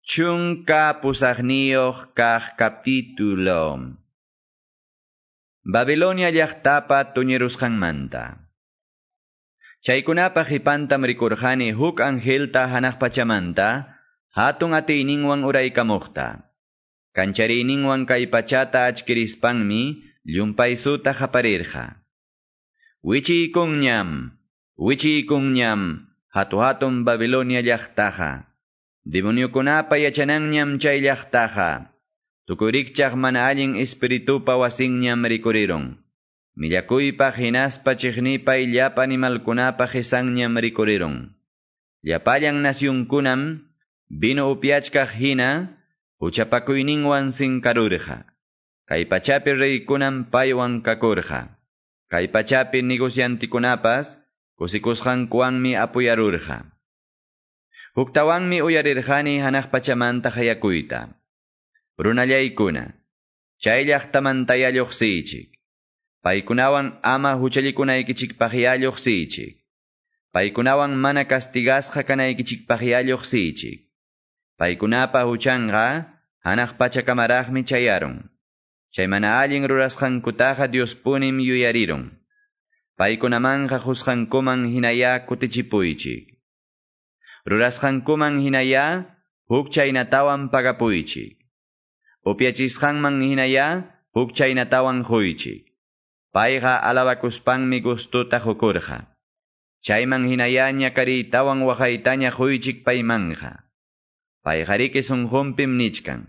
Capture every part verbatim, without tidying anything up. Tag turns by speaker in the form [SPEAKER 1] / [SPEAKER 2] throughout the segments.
[SPEAKER 1] Chunka pusaqniyuq kaq capítulo. Babilonia llaqtapa tuñirusqanmanta. Chaykunapa qipantam rikurqani huk angelta hanaq pachamanta, hatun atiyninwan uraykamuqta. Kanchariyninwan kay pachata achkirispanmi llumpaysuta qaparirqa. Wichiykunñam, wichiykunñam, hatu-hatun Babilonia llaqtaqa. Demoniokunapa yachananñam chay llaqtaqa. Tukuy rikchaq mana allin espiritupa wasinñam rikurirun. Millakuypaq hinaspa chiqnipay llapa animalkunapa qisanñam rikurirun. Llapallan nasyunkunam vino upyachkaq hina huchapakuyninwan sinkarurqa. Kay pachapi reykunam paywan kakurqa. Kay pachapi negociantikunapas kusikusqankuwanmi apuyarurqa. Huktawanmi uyarirqani hanaq pachamanta qayakuyta. Runallaykuna, chay llaqtamantaya lluqsiychik. Paykunawan ama huchallikunaykichikpaqya lluqsiychik. Paykunawan mana castigasqa kanaykichikpaqya lluqsiychik. Paykunapa huchanqa hanaq pachakamaraqmi chayarun. Chay mana allin rurasqankutaqa Diospunim yuyarirun. Paykunamanqa qusqankuman hinaya kutichipuychik. Rurasqankuman hinaya huk chaynatawan pagapuychik. Upyachisqanman hinaya huk chaynatawan quychik. Payqa alabakuspanmi gustuta qukurqa. Chayman hinaya ñakariytawan waqaytaña quychik paymanja. Payqariki sunqunpim nichkan.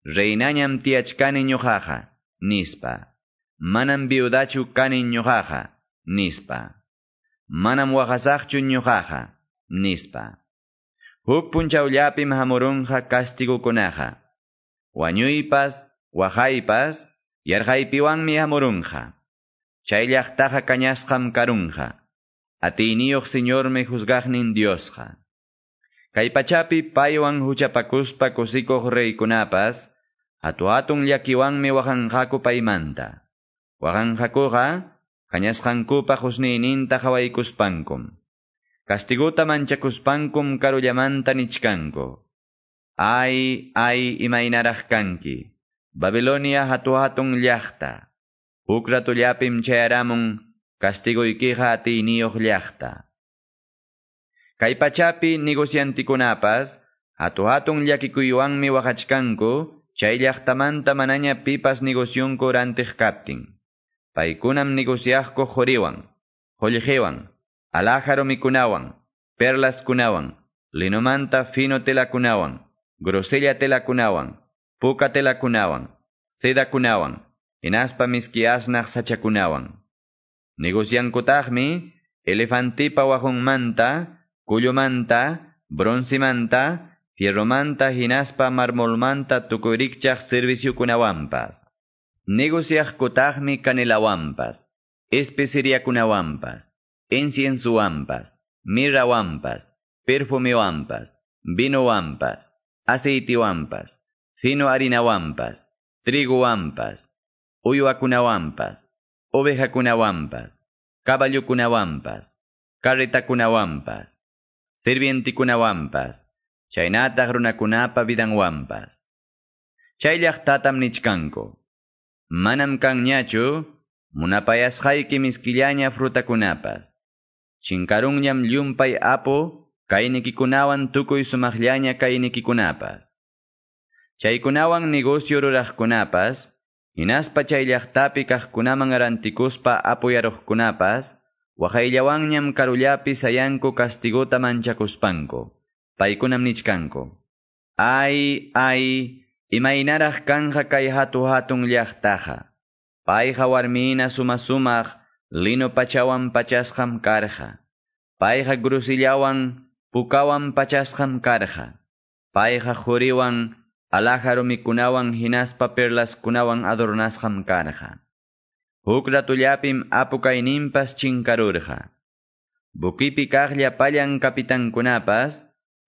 [SPEAKER 1] Reinañam tiyachkani ñuqaqa, nispa. Manam viudachu kani ñuqaqa, nispa. Manam waqasaqchu ñuqaqa, nispa. Huk punchawllapim hamurunqa kastigukunaqa. Wañuypas, waqaypas, yarqaypiwanmi hamurunqa. Chay llaqtaqa kañasqam karunqa. Atiyniyuq Señormi juzgaqnin Diosqa. Kay pachapi paywan huchapakuspa kusikuq reykunapas, hatu-hatun llakiwanmi waqanqaku paymanta. Waqanqakuqa, kañasqankupa qusniyninta qhawaykuspankum. Kastiguta manchakuspankum karullamanta nichkanku. Ay, ay, imaynaraq kanki. Babilonia hatu-hatun llaqta. Huk ratullapim chayaramun kastiguykiqa atiyniyuq llaqta. Kay pachapi negociantikunapas, hatu-hatun llakikuywanmi waqachkanku, chay llaqtamanta manaña pipas negocionku rantiq kaptin. Paykunam negociaqku quriwan, qullqiwan, alhaja rumikunawan, perlaskunawan, linomanta fino telakunawan, grosella telakunawan, puka telakunawan, sedakunawan, hinaspa miski asnaq sachakunawan. Negociankutaqmi elefantipa waqunmanta, kullumanta, broncemanta, fierromanta hinaspa marmolmanta tukuy rikchaq serviciokunawanpas. Negociaqkutaqmi canelawanpas, especeriakunawanpas, inciensowanpas, mirrawanpas, perfumewanpas, vinowanpas, aceitiwanpas, fino harinawanpas, trigowanpas, uywakunawanpas, ovejakunawanpas, caballokunawanpas, carretakunawanpas, sirvientikunawanpas, chaynataq runakunapa vidanwanpas. Chay llaqtatam nichkanku. Manam kanñachu munapayasqayki miskillaña frutakunapas. Chinkarunñam llumpay apu kaynikikunawan tukuy sumaqllaña kaynikikunapas. Chaykunawan negocio ruraqkunapas, hinaspa chay llaqtapi kaqkunaman rantikuspa apuyaruqkunapas, waqayllawanñam karullapi sayanku kastiguta manchakuspanku. Paykunam nichkanku. Ay, ay, imaynaraq kanja kay hatu-hatun llaqtaqa. Payqa warmina suma-sumaq lino pachawan pachasqam karqa. Payqa grusillawan pukawan pachasqam karqa. Payqa quriwan alhaja rumikunawan hinaspa perlaskunawan adornasqam karqa. Huk ratullapim apu kayninpas chinkarurqa. Buquipi kaq llapallan kapitankunapas,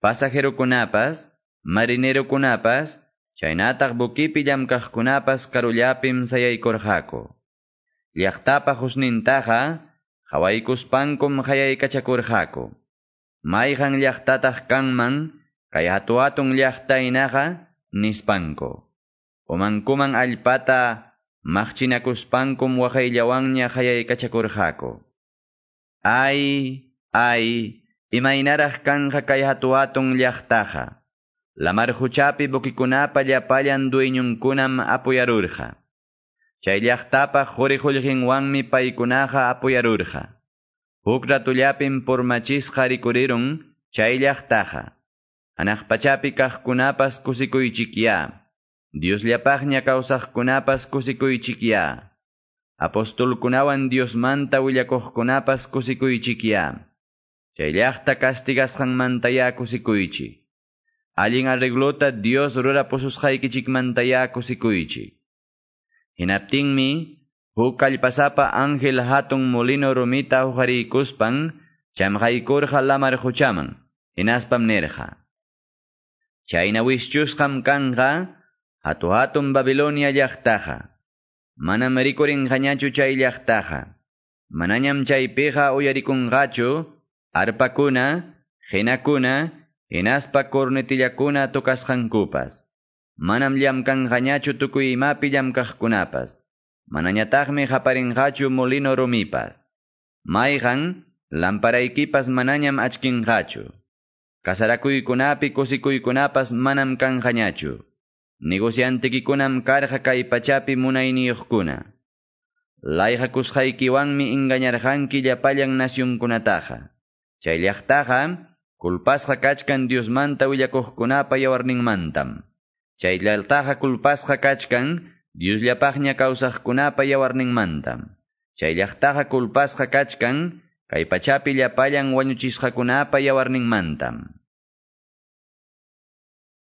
[SPEAKER 1] pasajerokunapas, marinerokunapas, chaynataq buquipi llamkaqkunapas karullapim sayaykurqaku. Llaqtapa husnintaqa qhawaykuspankum qayaykachakurqaku. Mayqan llaqtataq kanman Kay hatu-hatun llaqta hinaqa nispanku. Umankuman allpata maqchinakuspankum waqayllawanña qayaykachakurqaku. Ay, ay, imaynaraq kanqa kay hatu-hatun llaqtaqa. Lamar huchapi buquikunapa llapallan dueñunkunam apuyarurqa. Chay llaqtapa quri qullqinwanmi paykunaqa apuyarurqa. Huk ratullapim purmachisqa rikurirun chay llaqtaqa. Hanaq pachapi kaqkunapas kusikuychikya. Diosllapaqña kawsaqkunapas kusikuychikya. Apostolkunawan Diosmanta willakuqkunapas kusikuychikya. Chay llaqta castigasqanmantaya kusikuychik. Allin arreglota Dios rurapususqaykichikmantaya kusikuychik. Hinaptinmi, huk kallpasapa ángel hatun molino rumita huqariykuspan chamqaykurqa lamar quchaman, hinaspam nirqa. Chayna wischusqam kanqa hatu-hatun Babilonia llaqtaqa. Manam rikurinqañachu chay llaqtaqa. Manañam chaypiqa uyarikunqachu arpakuna, qinakuna, hinaspa cornetillakuna tocasqankupas. Manam llamkanqañachu tukuy imapi llamkaqkunapas. Manañataqmi qaparinqachu molino rumipas. Mayqan lamparaykipas manañam achkinqachu. Kasarakuykunapi kusikuykunapas manam kanqañachu. Negociantekikunam karqa kay pachapi munayniyuqkuna. Layqakusqaykiwanmi engañarqanki llapallan nacionkunataqa. Chay llaqtaqa kulpasqa kachkan Diosmanta willakuqkunapa yawarninmantam. Chay llaqtaqa kulpasqa kachkan Diosllapaqña kawsaqkunapa yawarninmantam. Chay llaqtaqa kulpasqa kachkan kay pachapi llapallan wañuchisqakunapa yawarninmantam.